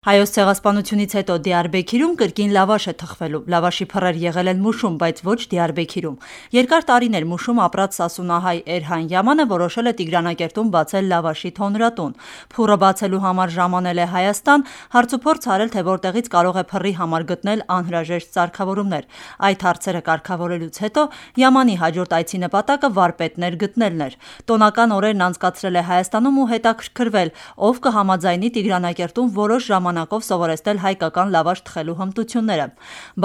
Հայոց ցեղասպանությունից հետո Դիարբեքիրում կրկին լավաշ է թխվելու։ Լավաշի փռեր եղել են Մուշում, բայց ոչ Դիարբեքիրում։ Երկար տարիներ Մուշում ապրած սասունահայ Էրհան Յամանը որոշել է Տիգրանակերտում բացել լավաշի թոնրատուն։ Փուռը բացելու համար ժամանել է Հայաստան, հարցուփորձ արել, թե որտեղից կարող է փռի համար գտնել անհրաժեշտ սարքավորումներ։ Այդ հարցերը կարգավորելուց հետո Յամանի հաջորդ այցի նպատակը վարպետներ գտնելն էր։ Տոնական օրերն անցկացրել է Հայաստանում ու հետաքրքրվել, ով կհամաձայնի Տիգրանակերտում որոշ ժամանակով սովորեցնել հայկական լավաշ թխելու հմտությունները։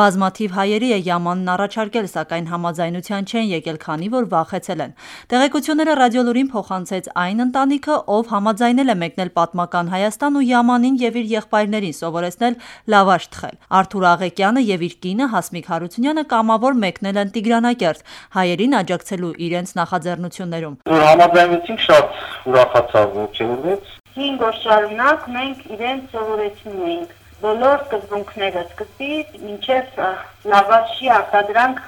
Բազմաթիվ հայերի է Յամանն առաջարկել, սակայն համաձայնության չեն եկել, քանի որ վախեցել են։ Տեղեկությունները Ռադիոլուրին փոխանցեց այն ընտանիքը, ով համաձայնել է մեկնել պատմական Հայաստան ու Յամանին եւ իր եղբայրներին սովորեցնել լավաշ թխել։ Արթուր Աղեկյանը եւ իր կինը Հասմիկ Հարությունյանը կամավոր մեկնել են Տիգրանակերտ, հայերին աջակցելու իրենց նախաձեռնություններում։ Որ համաձայնեցինք, շատ ուրախացավ, ողջունվեց։ 5 օր շարունակ մենք իրենց սովորեցնում էինք բոլոր սկզբունքները, սկզբից մինչև լավաշի արտադրանք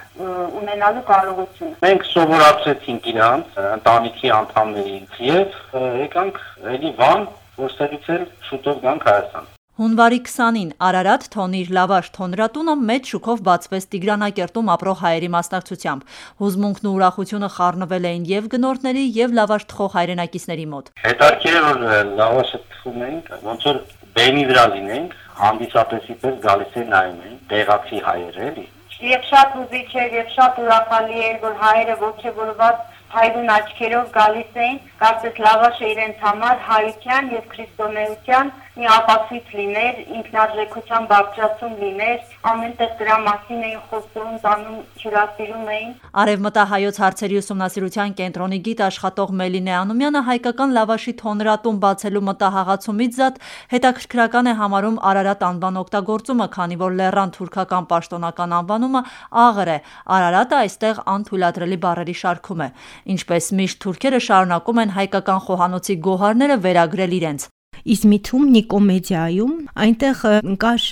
ունենալու կարողությունը։ Մենք սովորացրեցինք իրանց, ընտանիքի անդամների եւ եկանք էլի Վան, որտեղից էլ շուտով գանք Հայաստան։ Հունվարի 20-ին Արարատ թոնիր լավաշ թոնրատունը մեծ շուկով բացվեց Տիգրանակերտում ապրող հայերի մասնակցությամբ։ Հուզմունքն ու ուրախությունը խառնվել էին եւ գնորդների եւ լավաշ թխող հայրենակիցների մոտ։ Հետաքրքիր է, որ լավաշը թխում ենք, ոնց որ բեմի վրա լինենք, հանդիսատեսի պես գալիս է նայում են, տեղացի հայեր էլի։ Եվ շատ ուզիչ էր եւ շատ ուրախալի էր, որ հայերը ողջևորված հայրուն աչքերով գալիս էին, կարծես լավաշը իրենց համար հայության եւ քրիստոնեության մի ապացույց լիներ, ինքնարժեքության բարձրացում լիներ, ամենտեղ դրա մասին էին խոսում, տանում հյուրասիրում էին։ Արևմտահայոց հարցերի ուսումնասիրության կենտրոնի գիտ աշխատող Մելինե Անումյանը հայկական լավաշի թոնրատուն բացելու մտահաղացումից զատ հետաքրքրական է համարում Արարատ անվան օգտագործումը, քանի որ լեռան թուրքական պաշտոնական անվանումը աղր է։ Արարատը այստեղ անթույլատրելի բառերի շարքում է։ Ինչպես միշտ թուրքերը շարունակում են հայկական խոհանոցի գոհարները վերագրել իրենց։ Իզմիթում Նիկոմեդիայում այնտեղ կար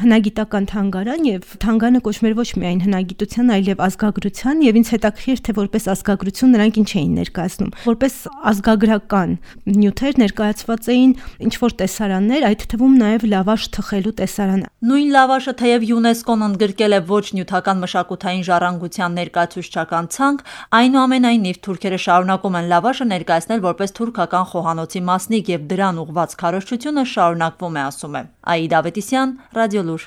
հնագիտական թանգարան եւ թանգարանը կոչվում էր ոչ միայն հնագիտության, այլև ազգագրության եւ ինձ հետաքրքիր թե որպես ազգագրություն նրանք ինչ էին ներկայացնում։ Որպես ազգագրական նյութեր ներկայացված էին ինչ որ տեսարաններ, այդ թվում նաեւ լավաշ թխելու տեսարանը։ Նույն լավաշը թեև ՅՈՒՆԵՍԿՕ-ն ընդգրկել է ոչ նյութական մշակութային ժառանգության ներկայացուցչական ցանկ, այնուամենայնիվ թուրքերը շարունակում են լավաշը ներկայացնել որպես թուրքական խոհանոցի մասնիկ եւ դրան ուղղված քարոզչությունը շարունակվում է, ասում է Աիդ Ավետիսյան, Ռադիոլուր։